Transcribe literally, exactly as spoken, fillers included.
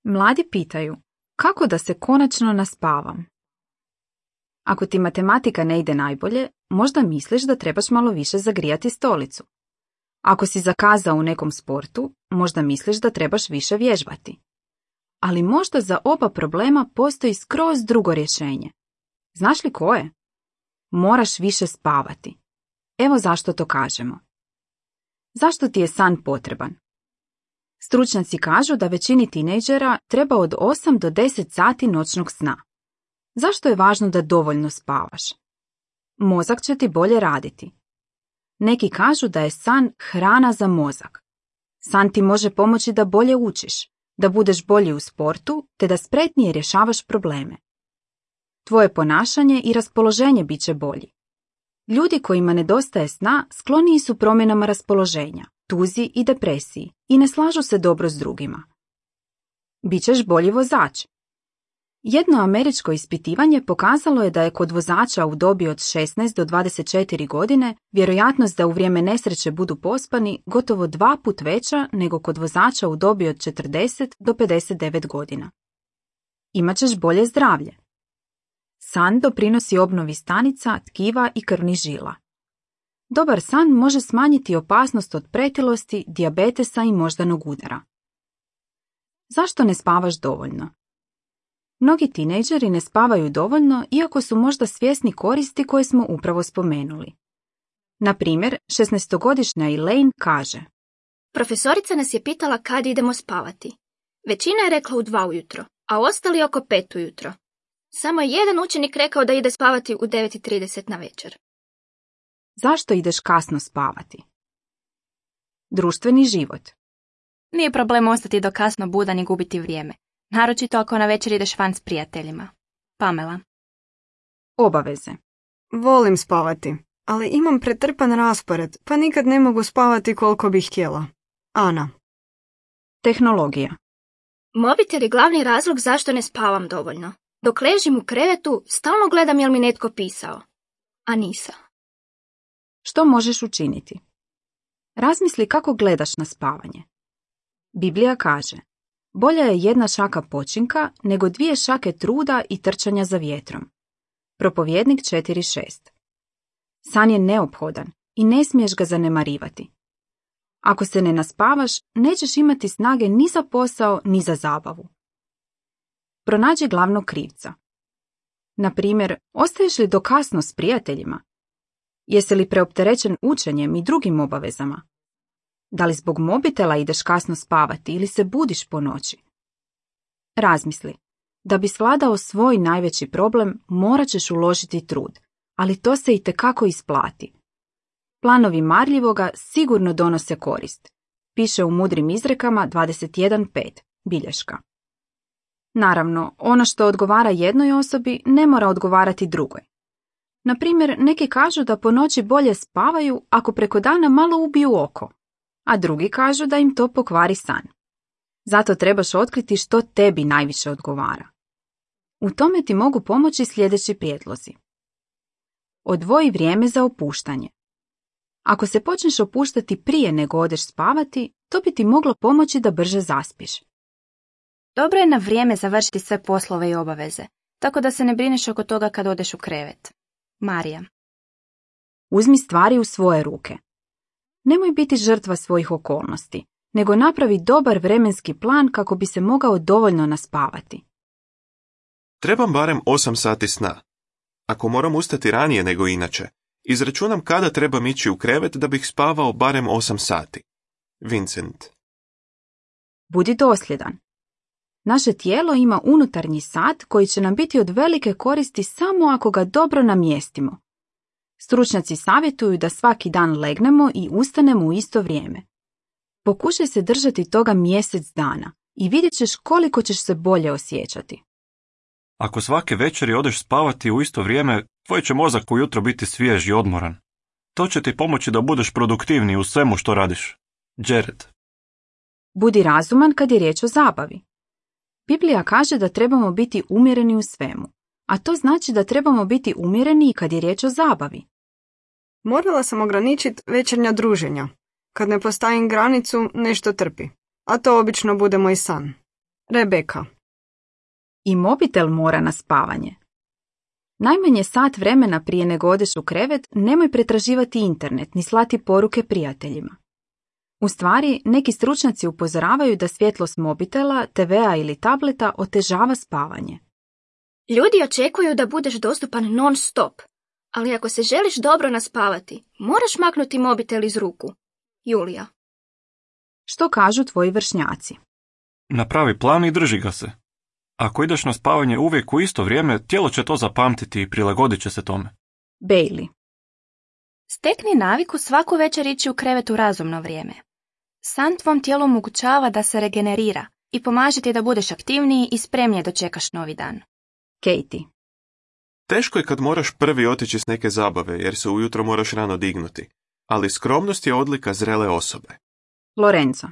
Mladi pitaju, kako da se konačno naspavam? Ako ti matematika ne ide najbolje, možda misliš da trebaš malo više zagrijati stolicu. Ako si zakazao u nekom sportu, možda misliš da trebaš više vježbati. Ali možda za oba problema postoji skroz drugo rješenje. Znaš li koje? Moraš više spavati. Evo zašto to kažemo. Zašto ti je san potreban? Stručnjaci kažu da većini tinejdžera treba od osam do deset sati noćnog sna. Zašto je važno da dovoljno spavaš? Mozak će ti bolje raditi. Neki kažu da je san hrana za mozak. San ti može pomoći da bolje učiš, da budeš bolji u sportu, te da spretnije rješavaš probleme. Tvoje ponašanje i raspoloženje bit će bolji. Ljudi kojima nedostaje sna skloniji su promjenama raspoloženja, tuzi i depresiji i ne slažu se dobro s drugima. Bićeš bolji vozač. Jedno američko ispitivanje pokazalo je da je kod vozača u dobi od šesnaest do dvadeset četiri godine vjerojatnost da u vrijeme nesreće budu pospani gotovo dva put veća nego kod vozača u dobi od četrdeset do pedeset devet godina. Imaćeš bolje zdravlje. San doprinosi obnovi stanica, tkiva i krvnih žila. Dobar san može smanjiti opasnost od pretilosti, dijabetesa i moždanog udara. Zašto ne spavaš dovoljno? Mnogi tinejdžeri ne spavaju dovoljno iako su možda svjesni koristi koje smo upravo spomenuli. Na primjer, šesnaestogodišnja Elaine kaže: Profesorica nas je pitala kad idemo spavati. Većina je rekla u dva ujutro, a ostali oko pet ujutro. Samo je jedan učenik rekao da ide spavati u devet i trideset na večer. Zašto ideš kasno spavati? Društveni život. Nije problem ostati do kasno budan i gubiti vrijeme. Naročito ako na večer ideš van s prijateljima. Pamela. Obaveze. Volim spavati, ali imam pretrpan raspored, pa nikad ne mogu spavati koliko bih htjela. Ana. Tehnologija. Mobitel je glavni razlog zašto ne spavam dovoljno. Dok ležim u krevetu, stalno gledam jel mi netko pisao. A nisam. Što možeš učiniti? Razmisli kako gledaš na spavanje. Biblija kaže: bolja je jedna šaka počinka nego dvije šake truda i trčanja za vjetrom. Propovjednik četiri šest. San je neophodan i ne smiješ ga zanemarivati. Ako se ne naspavaš, nećeš imati snage ni za posao, ni za zabavu. Pronađi glavnog krivca. Na primjer, ostaješ li do kasno s prijateljima? Jesi li preopterećen učenjem i drugim obavezama? Da li zbog mobitela ideš kasno spavati ili se budiš po noći? Razmisli. Da bi svladao svoj najveći problem, morat ćeš uložiti trud, ali to se itekako isplati. Planovi marljivoga sigurno donose korist. Piše u Mudrim izrekama dvadeset jedan pet, bilješka. Naravno, ono što odgovara jednoj osobi ne mora odgovarati drugoj. Na primjer, neki kažu da po noći bolje spavaju ako preko dana malo ubiju oko, a drugi kažu da im to pokvari san. Zato trebaš otkriti što tebi najviše odgovara. U tome ti mogu pomoći sljedeći prijedlozi. Odvoji vrijeme za opuštanje. Ako se počneš opuštati prije nego odeš spavati, to bi ti moglo pomoći da brže zaspiš. Dobro je na vrijeme završiti sve poslove i obaveze, tako da se ne brineš oko toga kad odeš u krevet. Marija. Uzmi stvari u svoje ruke. Nemoj biti žrtva svojih okolnosti, nego napravi dobar vremenski plan kako bi se mogao dovoljno naspavati. Trebam barem osam sati sna. Ako moram ustati ranije nego inače, izračunam kada trebam ići u krevet da bih spavao barem osam sati. Vincent. Budi dosljedan. Naše tijelo ima unutarnji sat koji će nam biti od velike koristi samo ako ga dobro namjestimo. Stručnjaci savjetuju da svaki dan legnemo i ustanemo u isto vrijeme. Pokušaj se držati toga mjesec dana i vidjet ćeš koliko ćeš se bolje osjećati. Ako svake večeri odeš spavati u isto vrijeme, tvoj će mozak ujutro biti svjež i odmoran. To će ti pomoći da budeš produktivniji u svemu što radiš. Jared. Budi razuman kad je riječ o zabavi. Biblija kaže da trebamo biti umjereni u svemu, a to znači da trebamo biti umjereni i kad je riječ o zabavi. Morala sam ograničiti večernja druženja. Kad ne postavim granicu, nešto trpi. A to obično bude moj san. Rebeka. I mobitel mora na spavanje. Najmanje sat vremena prije nego odeš u krevet nemoj pretraživati internet ni slati poruke prijateljima. U stvari, neki stručnjaci upozoravaju da svjetlost mobitela, te vea ili tableta otežava spavanje. Ljudi očekuju da budeš dostupan non stop, ali ako se želiš dobro naspavati, moraš maknuti mobitel iz ruku. Julija. Što kažu tvoji vršnjaci? Napravi plan i drži ga se. Ako ideš na spavanje uvijek u isto vrijeme, tijelo će to zapamtiti i prilagodit će se tome. Bailey. Stekni naviku svaku večer ići u krevet u razumno vrijeme. San tvom tijelu omogućava da se regenerira i pomaže ti da budeš aktivniji i spremnije dočekaš novi dan. Katie. Teško je kad moraš prvi otići s neke zabave, jer se ujutro moraš rano dignuti, ali skromnost je odlika zrele osobe. Lorenzo.